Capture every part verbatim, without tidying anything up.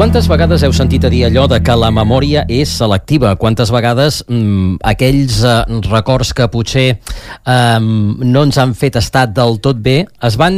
Quantes vegades heu sentit a dir allò de que la memòria és selectiva? Quantes vegades mmm, aquells eh, records que potser eh, no ens han fet estar del tot bé es van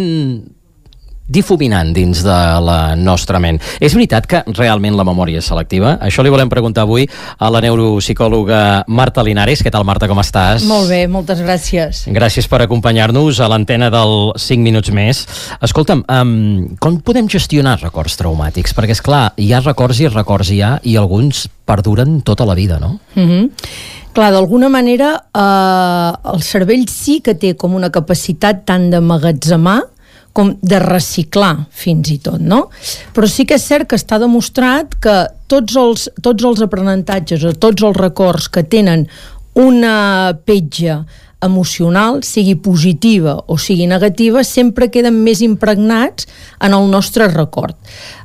difuminant dins de la nostra ment? És veritat que realment la memòria és selectiva? Això li volem preguntar avui a la neuropsicòloga Marta Linares. Què tal, Marta, com estàs? Molt bé, moltes gràcies. Gràcies per acompanyar-nos a l'antena del cinc minuts més. Escolta'm, um, com podem gestionar records traumàtics? Perquè, és clar, hi ha records i records hi ha, i alguns perduren tota la vida, no? Mhm. Clar, d'alguna manera eh, el cervell sí que té com una capacitat tant d'emmagatzemar com de reciclar, fins i tot, no? Però sí que és cert que està demostrat que tots els, tots els aprenentatges o tots els records que tenen una petja emocional, sigui positiva o sigui negativa, sempre queden més impregnats en el nostre record.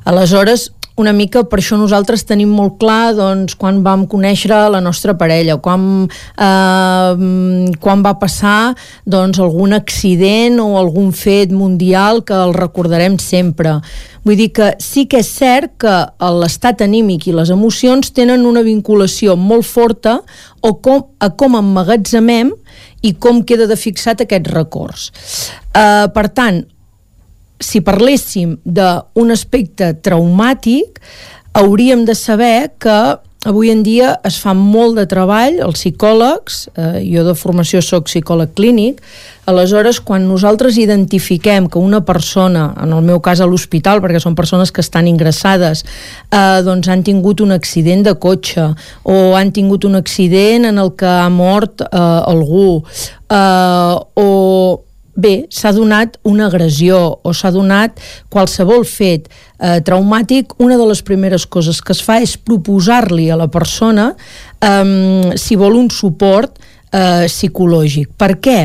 Aleshores, una mica per això nosaltres tenim molt clar doncs, quan vam conèixer la nostra parella, quan, eh, quan va passar doncs, algun accident o algun fet mundial que el recordarem sempre. Vull dir que sí que és cert que l'estat anímic i les emocions tenen una vinculació molt forta o com, a com emmagatzemem i com queda de fixat aquests records. Eh, per tant, si parléssim d'un aspecte traumàtic, hauríem de saber que avui en dia es fa molt de treball, els psicòlegs, eh, jo de formació soc psicòleg clínic, aleshores quan nosaltres identifiquem que una persona, en el meu cas a l'hospital, perquè són persones que estan ingressades, eh, doncs han tingut un accident de cotxe o han tingut un accident en el que ha mort eh, algú, eh, o bé, s'ha donat una agressió o s'ha donat qualsevol fet eh, traumàtic, una de les primeres coses que es fa és proposar-li a la persona eh, si vol un suport eh, psicològic. Per què?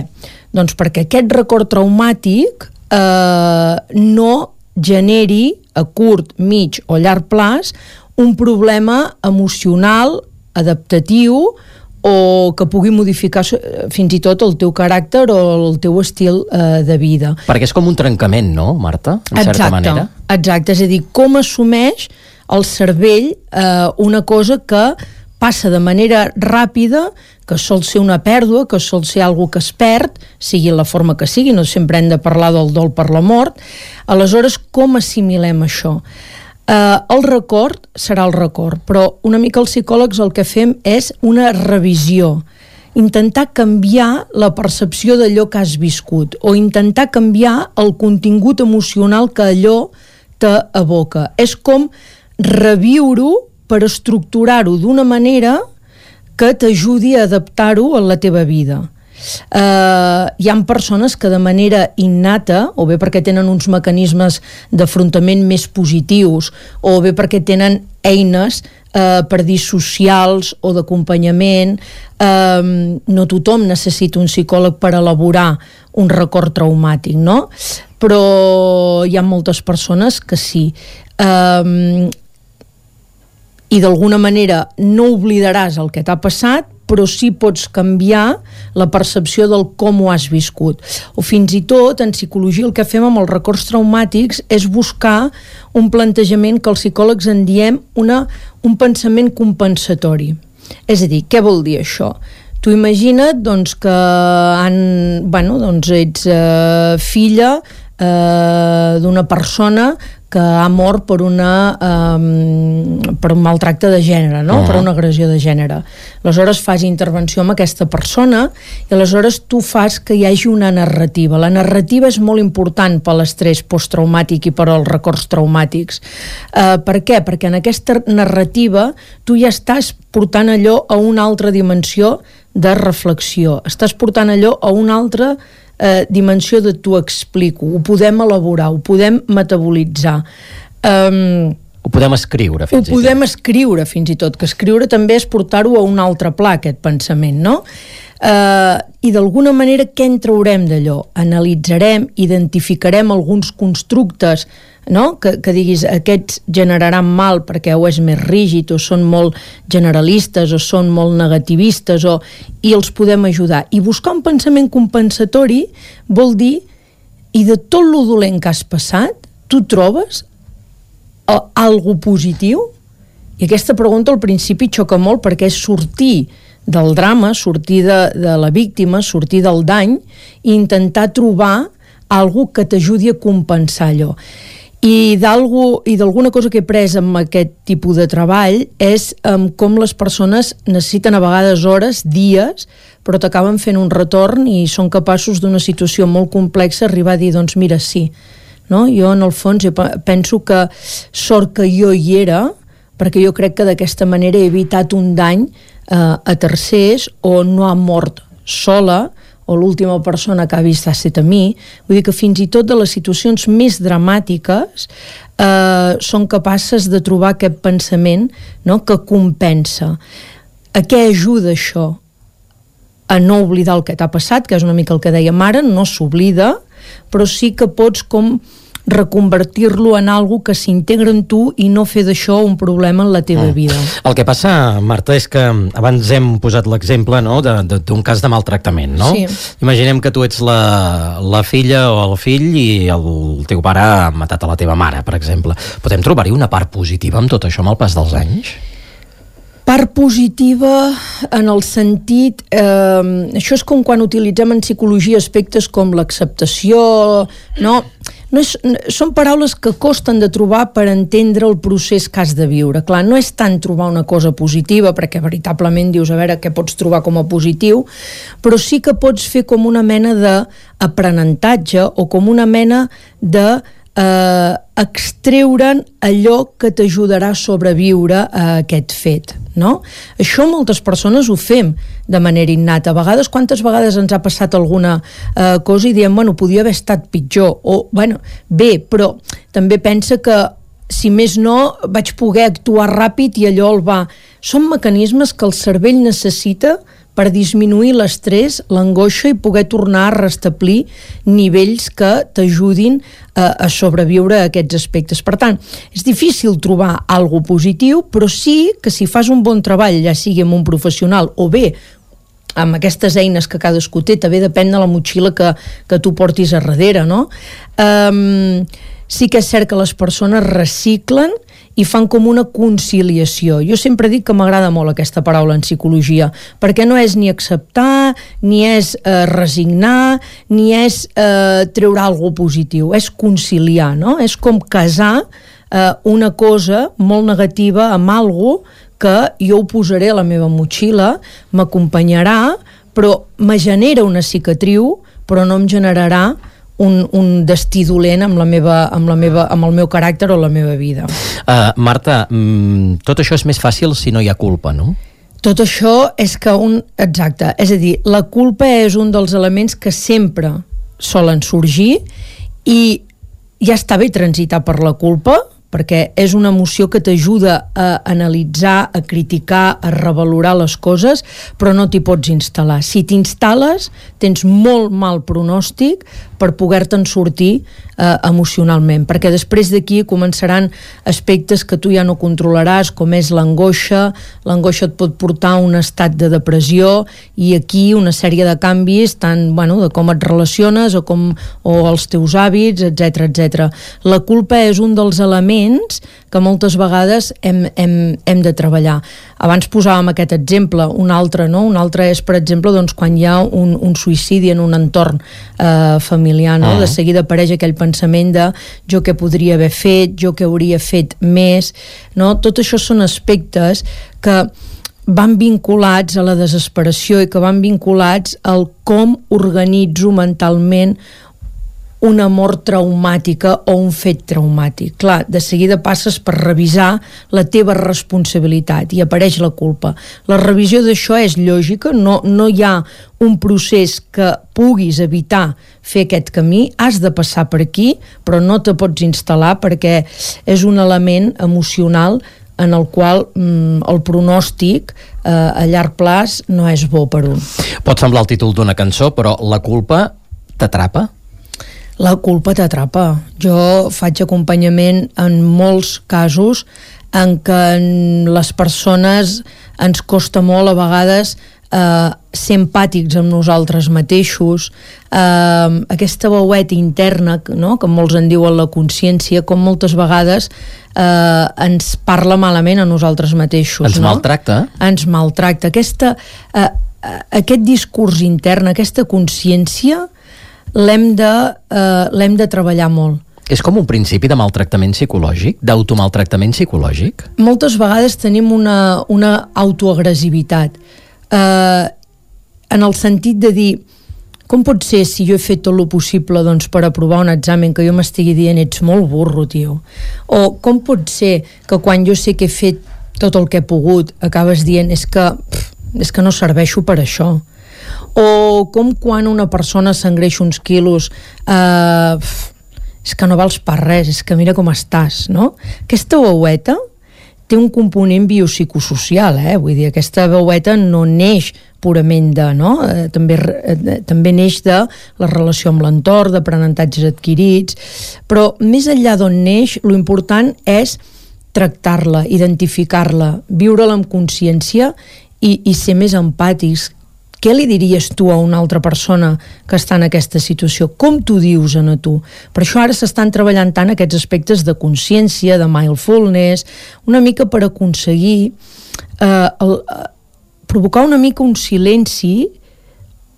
Doncs perquè aquest record traumàtic eh, no generi a curt, mig o llarg plaç un problema emocional, adaptatiu, o que pugui modificar fins i tot el teu caràcter o el teu estil eh, de vida. Perquè és com un trencament, no, Marta? En exacte, certa manera. Exacte, és a dir, com assumeix el cervell eh, una cosa que passa de manera ràpida, que sol ser una pèrdua, que sol ser algo que es perd, sigui la forma que sigui, no sempre hem de parlar del dol per la mort. Aleshores, com assimilem això? Uh, el record serà el record, però una mica els psicòlegs el que fem és una revisió, intentar canviar la percepció d'allò que has viscut o intentar canviar el contingut emocional que allò t'evoca. És com reviure-ho per estructurar-ho d'una manera que t'ajudi a adaptar-ho a la teva vida. Uh, hi ha persones que de manera innata, o bé perquè tenen uns mecanismes d'afrontament més positius, o bé perquè tenen eines uh, per dir socials o d'acompanyament, uh, no tothom necessita un psicòleg per elaborar un record traumàtic, no? Però hi ha moltes persones que sí. Uh, i d'alguna manera no oblidaràs el que t'ha passat, però sí pots canviar la percepció del com ho has viscut. O fins i tot, en psicologia, el que fem amb els records traumàtics és buscar un plantejament que els psicòlegs en diem una, un pensament compensatori. És a dir, què vol dir això? Tu imagina't doncs, que han, bueno, doncs ets eh, filla eh, d'una persona que ha mort per, una, um, per un maltracte de gènere, no? Uh-huh. Per una agressió de gènere. Aleshores fas intervenció amb aquesta persona i aleshores tu fas que hi hagi una narrativa. La narrativa és molt important per l'estrès posttraumàtic i per als records traumàtics. Uh, per què? Perquè en aquesta narrativa tu ja estàs portant allò a una altra dimensió de reflexió. Estàs portant allò a una altra Eh, dimensió de t'ho explico, ho podem elaborar, ho podem metabolitzar. Um, ho podem escriure, fins i tot. Ho podem escriure, fins i tot, que escriure també és portar-ho a un altre pla, aquest pensament, no? Uh, I d'alguna manera què en traurem d'allò? Analitzarem, identificarem alguns constructes, no? que, que diguis aquests generaran mal perquè o és més rígid o són molt generalistes o són molt negativistes o, i els podem ajudar. I buscar un pensament compensatori vol dir, i de tot lo dolent que has passat, tu trobes algo positiu? I aquesta pregunta al principi xoca molt, perquè és sortir del drama, sortir de, de la víctima, sortir del dany i intentar trobar algo que t'ajudi a compensar allò. I d'alguna cosa que he pres amb aquest tipus de treball és um, com les persones necessiten a vegades hores, dies, però t'acaben fent un retorn i són capaços d'una situació molt complexa arribar a dir, doncs mira, sí. No? Jo en el fons penso que sort que jo hi era, perquè jo crec que d'aquesta manera he evitat un dany eh, a tercers, o no ha mort sola, o l'última persona que ha vist ha estat a mi. Vull dir que fins i tot de les situacions més dramàtiques eh, són capaces de trobar aquest pensament, no?, que compensa. A què ajuda això? A no oblidar el que t'ha passat, que és una mica el que dèiem ara, no s'oblida, però sí que pots com reconvertir-lo en algo que s'integra en tu i no fer d'això un problema en la teva mm. vida. El que passa, Marta, és que abans hem posat l'exemple, no?, d'un cas de maltractament, no? Sí. Imaginem que tu ets la, la filla o el fill i el teu pare ha matat a la teva mare, per exemple. Podem trobar-hi una part positiva amb tot això amb el pas dels anys? Part positiva en el sentit... Eh, això és com quan utilitzem en psicologia aspectes com l'acceptació, no? No és, són paraules que costen de trobar per entendre el procés que has de viure. Clar, no és tant trobar una cosa positiva, perquè veritablement dius, a veure, què pots trobar com a positiu, però sí que pots fer com una mena d'aprenentatge o com una mena de eh, extreure'n allò que t'ajudarà a sobreviure a aquest fet, no? Això moltes persones ho fem de manera innata. A vegades, quantes vegades ens ha passat alguna eh, cosa i diem, bueno, podia haver estat pitjor, o, bueno, bé, però també pensa que si més no, vaig poder actuar ràpid i allò el va... Són mecanismes que el cervell necessita per disminuir l'estrès, l'angoixa i poder tornar a restablir nivells que t'ajudin a, a sobreviure a aquests aspectes. Per tant, és difícil trobar alguna positiu, però sí que si fas un bon treball, ja sigui amb un professional o bé amb aquestes eines que cadascú té, també depèn de la motxilla que, que tu portis a darrere, no? Um, sí que és cert que les persones reciclen i fan com una conciliació. Jo sempre dic que m'agrada molt aquesta paraula en psicologia, perquè no és ni acceptar, ni és eh, resignar, ni és eh, treure alguna cosa positiu, és conciliar, no? És com casar eh, una cosa molt negativa amb alguna cosa que jo ho posaré a la meva motxilla, m'acompanyarà, però me genera una cicatriu, però no em generarà Un, un destí dolent amb, la meva, amb, la meva, amb el meu caràcter o la meva vida. Uh, Marta, mm, tot això és més fàcil si no hi ha culpa, no? Tot això és que un... Exacte, és a dir, la culpa és un dels elements que sempre solen sorgir i ja està bé transitar per la culpa, perquè és una emoció que t'ajuda a analitzar, a criticar, a revalorar les coses, però no t'hi pots instal·lar. Si t'instal·les, tens molt mal pronòstic per poder-te'n sortir eh, emocionalment, perquè després d'aquí començaran aspectes que tu ja no controlaràs, com és l'angoixa. L'angoixa et pot portar a un estat de depressió i aquí una sèrie de canvis, tant bueno, de com et relaciones o, com, o els teus hàbits, etcètera, etcètera. La culpa és un dels elements que moltes vegades hem, hem, hem de treballar. Abans posàvem aquest exemple, un altre, no? Un altre és, per exemple, doncs, quan hi ha un, un suïcidi en un entorn eh, familiar, no? Uh-huh. De seguida apareix aquell pensament de jo què podria haver fet, jo què hauria fet més, no? Tot això són aspectes que van vinculats a la desesperació i que van vinculats al com organitzo mentalment una mort traumàtica o un fet traumàtic. Clar, de seguida passes per revisar la teva responsabilitat i apareix la culpa. La revisió d'això és lògica, no, no hi ha un procés que puguis evitar fer aquest camí, has de passar per aquí, però no te pots instal·lar perquè és un element emocional en el qual mm, el pronòstic eh, a llarg plaç no és bo per un. Pot semblar el títol d'una cançó, però la culpa t'atrapa? La culpa t'atrapa. Jo faig acompanyament en molts casos en què les persones ens costa molt a vegades eh, ser empàtics amb nosaltres mateixos, eh, aquesta veueta interna, no?, que molts en diuen la consciència, com moltes vegades eh, ens parla malament a nosaltres mateixos. Ens no? maltracta. Ens maltracta. Aquesta, eh, aquest discurs intern, aquesta consciència, l'hem de, eh, l'hem de treballar molt. És com un principi de maltractament psicològic, d'automaltractament psicològic? Moltes vegades tenim una, una autoagressivitat, eh, en el sentit de dir, com pot ser si jo he fet tot el possible doncs, per aprovar un examen que jo m'estigui dient ets molt burro, tio? O com pot ser que quan jo sé que he fet tot el que he pogut acabes dient és que, pff, és que no serveixo per això? O com quan una persona s'engreixa uns quilos eh, pff, és que no vals per res, és que mira com estàs, no? Aquesta veueta té un component biopsicosocial, eh? Vull dir, aquesta veueta no neix purament de, no? Eh, també, eh, també neix de la relació amb l'entorn, d'aprenentatges adquirits, però més enllà d'on neix, lo important és tractar-la, identificar-la, viure-la amb consciència i, i ser més empàtics. Què li diries tu a una altra persona que està en aquesta situació? Com t'ho dius a tu? Per això ara s'estan treballant tant aquests aspectes de consciència, de mindfulness, una mica per aconseguir eh, el, eh, provocar una mica un silenci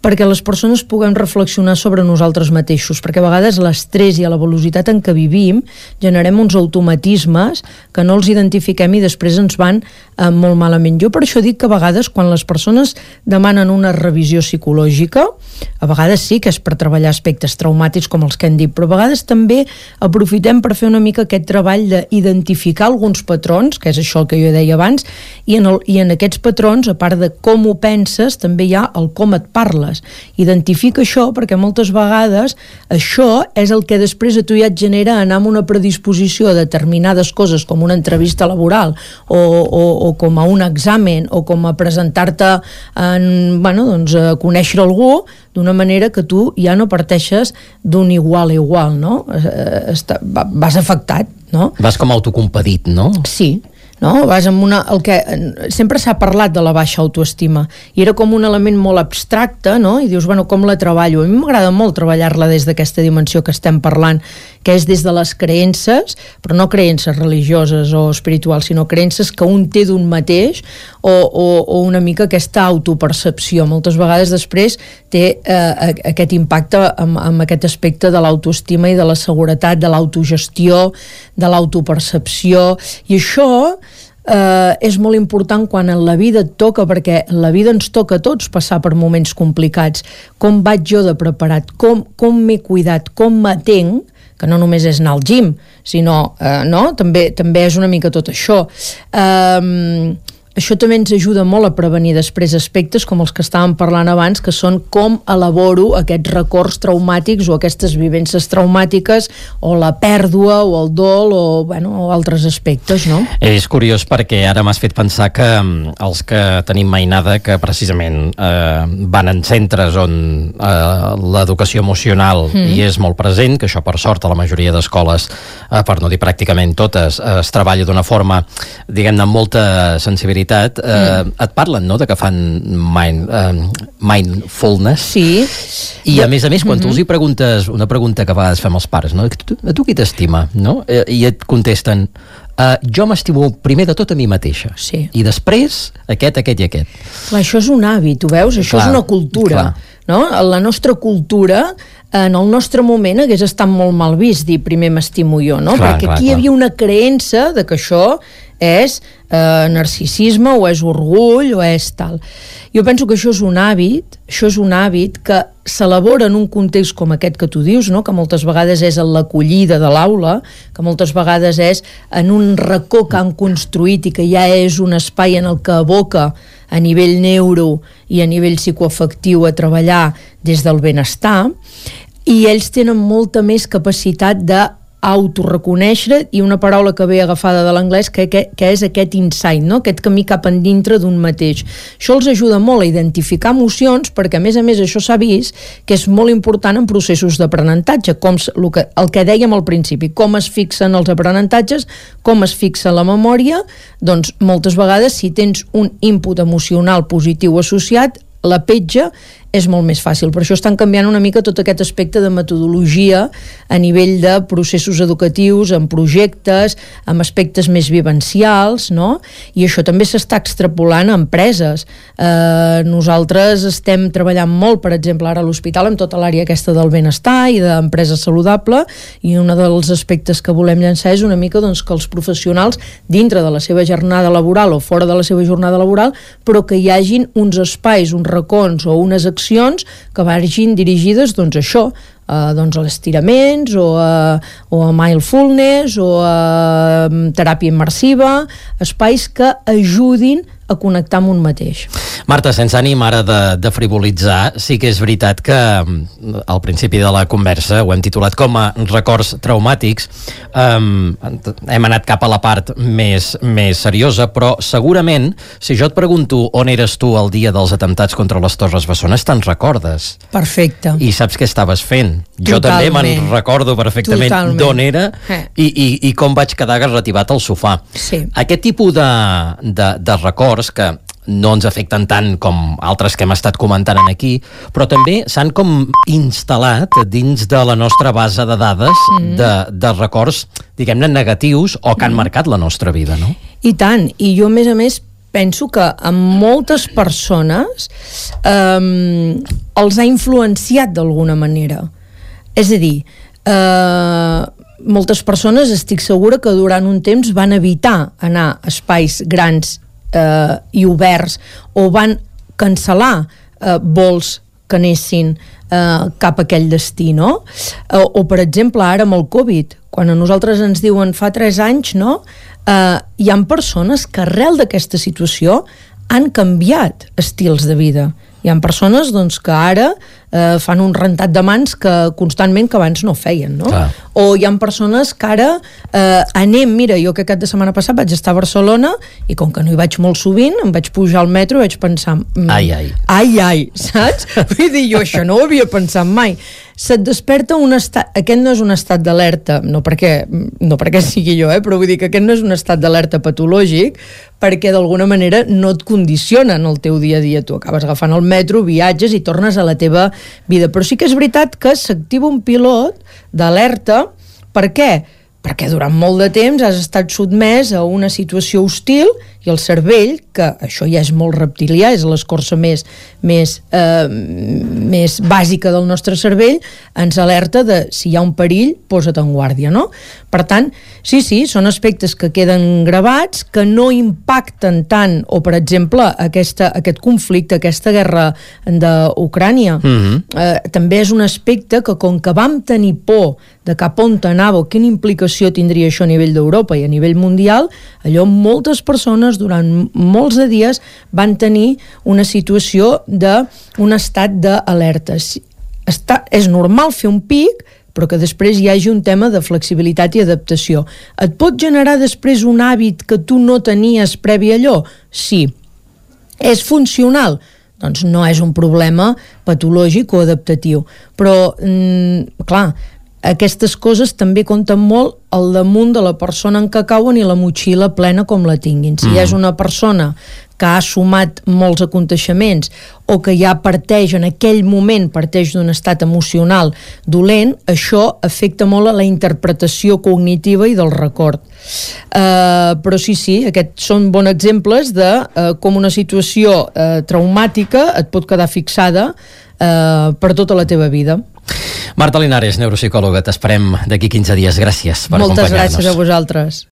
perquè les persones puguem reflexionar sobre nosaltres mateixos, perquè a vegades l'estrès i a la velocitat en què vivim generem uns automatismes que no els identifiquem i després ens van eh, molt malament. Jo per això dic que a vegades quan les persones demanen una revisió psicològica, a vegades sí que és per treballar aspectes traumàtics com els que hem dit, però a vegades també aprofitem per fer una mica aquest treball d'identificar alguns patrons, que és això el que jo deia abans, i en, el, i en aquests patrons, a part de com ho penses, també hi ha el com et parles. Identifica això perquè moltes vegades això és el que després a tu ja et genera anar amb una predisposició a determinades coses com una entrevista laboral o, o, o com a un examen o com a presentar-te en, bueno, doncs, a conèixer algú d'una manera que tu ja no parteixes d'un igual a igual, no? Està, vas afectat, no? Vas com autocompadit, no? Sí. No? Vas amb una, el que sempre s'ha parlat de la baixa autoestima i era com un element molt abstracte, no? I dius, bueno, com la treballo? A mi m'agrada molt treballar-la des d'aquesta dimensió que estem parlant, que és des de les creences, però no creences religioses o espirituals, sinó creences que un té d'un mateix o, o, o una mica aquesta autopercepció. Moltes vegades després té eh, aquest impacte amb, amb aquest aspecte de l'autoestima i de la seguretat, de l'autogestió, de l'autopercepció, i això Uh, és molt important quan en la vida et toca, perquè en la vida ens toca a tots passar per moments complicats. Com vaig jo de preparat? Com, com m'he cuidat? Com m'atenc? Que no només és anar al gym, sinó, uh, no? També, també és una mica tot això. Uh, Això també ens ajuda molt a prevenir després aspectes com els que estàvem parlant abans, que són com elaboro aquests records traumàtics o aquestes vivències traumàtiques o la pèrdua o el dol o, bueno, o altres aspectes, no? És curiós perquè ara m'has fet pensar que els que tenim mainada, que precisament eh, van en centres on eh, l'educació emocional mm. hi és molt present, que això per sort a la majoria d'escoles, eh, per no dir pràcticament totes, eh, es treballa d'una forma, diguem-ne, amb molta sensibilitat. Eh, mm. Et parlen, no?, de que fan mind, eh, mindfulness. Sí. I a més a més, quan mm-hmm. tu els hi preguntes una pregunta que a vegades fem els pares, no?, a tu, a tu qui t'estima, no? Eh, I et contesten, eh, jo m'estimo primer de tot a mi mateixa. Sí. I després aquest, aquest i aquest. Clar, això és un hàbit, ho veus? Això clar, és una cultura. No? La nostra cultura, en el nostre moment, hagués estat molt mal vist dir primer m'estimo jo, no? Clar, perquè clar, aquí clar. Hi havia una creença de que això és eh, narcisisme o és orgull o és tal. Jo penso que això és un hàbit, això és un hàbit que s'elabora en un context com aquest que tu dius, no? Que moltes vegades és en l'acollida de l'aula, que moltes vegades és en un racó que han construït i que ja és un espai en el que aboca a nivell neuro i a nivell psicoafectiu a treballar des del benestar, i ells tenen molta més capacitat de autoreconèixer i una paraula que ve agafada de l'anglès que, que, que és aquest insight, no? Aquest camí cap endintre d'un mateix. Això els ajuda molt a identificar emocions perquè a més a més això s'ha vist que és molt important en processos d'aprenentatge, com el que, el que dèiem al principi, com es fixen els aprenentatges, com es fixa la memòria, doncs moltes vegades si tens un input emocional positiu associat, la petja és molt més fàcil. Per això estan canviant una mica tot aquest aspecte de metodologia a nivell de processos educatius, en projectes, amb aspectes més vivencials, no? I això també s'està extrapolant a empreses. Eh, nosaltres estem treballant molt, per exemple, ara a l'hospital, amb tota l'àrea aquesta del benestar i d'empresa saludable, i un dels aspectes que volem llançar és una mica doncs, que els professionals, dintre de la seva jornada laboral o fora de la seva jornada laboral, però que hi hagin uns espais, uns racons o unes accions que vagin dirigides doncs, a això, Uh, doncs a estiraments o a, o a mindfulness o a um, teràpia immersiva, espais que ajudin a connectar amb un mateix. Marta, sense ànim ara de, de frivolitzar, sí que és veritat que al principi de la conversa ho hem titulat com a records traumàtics. Um, hem anat cap a la part més, més seriosa, però segurament, si jo et pregunto on eres tu el dia dels atemptats contra les Torres Bessones, te'n recordes. Perfecte. I saps què estaves fent. Jo Totalment. també me'n recordo perfectament d'on era eh. i, i, i com vaig quedar garrativat al sofà. Sí. Aquest tipus de, de, de records que no ens afecten tant com altres que hem estat comentant aquí, però també s'han com instal·lat dins de la nostra base de dades mm. de, de records, diguem-ne, negatius o que han mm. marcat la nostra vida, no? I tant, i jo a més a més penso que a moltes persones eh, els ha influenciat d'alguna manera. És a dir, eh, moltes persones estic segura que durant un temps van evitar anar a espais grans eh, i oberts o van cancel·lar eh, vols que anessin eh, cap a aquell destí, no? O, o per exemple ara amb el Covid, quan a nosaltres ens diuen fa tres anys, no? Uh, hi ha persones que arrel d'aquesta situació han canviat estils de vida. Hi ha persones doncs, que ara eh, fan un rentat de mans que constantment que abans no feien, no? Clar. O hi ha persones que ara eh, anem, mira, jo que aquest de setmana passat vaig estar a Barcelona i com que no hi vaig molt sovint, em vaig pujar al metro i vaig pensar mm, ai, ai. ai, ai, saps? Vull dir, jo això no ho havia pensat mai. Se't desperta un estat, aquest no és un estat d'alerta, no perquè, no perquè sigui jo, eh, però vull dir que aquest no és un estat d'alerta patològic, perquè d'alguna manera no et condiciona en el teu dia a dia. Tu acabes agafant el metro, viatges i tornes a la teva vida. Però sí que és veritat que s'activa un pilot d'alerta. Per què? Perquè durant molt de temps has estat sotmès a una situació hostil i el cervell, que això ja és molt reptilià, és l'escorça més, més, eh, més bàsica del nostre cervell, ens alerta de si hi ha un perill, posa't en guàrdia, no? Per tant, sí, sí, són aspectes que queden gravats, que no impacten tant, o per exemple, aquesta, aquest conflicte, aquesta guerra d'Ucrània, mm-hmm. eh, també és un aspecte que com que vam tenir por de cap on anava o quina implicació tindria això a nivell d'Europa i a nivell mundial, allò moltes persones durant molts de dies van tenir una situació d'un estat d'alerta. Està, és normal fer un pic, però que després hi hagi un tema de flexibilitat i adaptació. Et pot generar després un hàbit que tu no tenies previ a allò? Sí. És funcional? Doncs no és un problema patològic o adaptatiu. Però, mm, clar, aquestes coses també compten molt al damunt de la persona en què cauen i la motxilla plena com la tinguin. Si mm. és una persona que ha sumat molts aconteixements o que ja parteix, en aquell moment parteix d'un estat emocional dolent, això afecta molt a la interpretació cognitiva i del record. Uh, però sí, sí, aquests són bons exemples de uh, com una situació uh, traumàtica et pot quedar fixada uh, per tota la teva vida. Marta Linares, neuropsicòloga, t'esperem d'aquí quinze dies. Gràcies per acompanyar-nos. Moltes gràcies a vosaltres.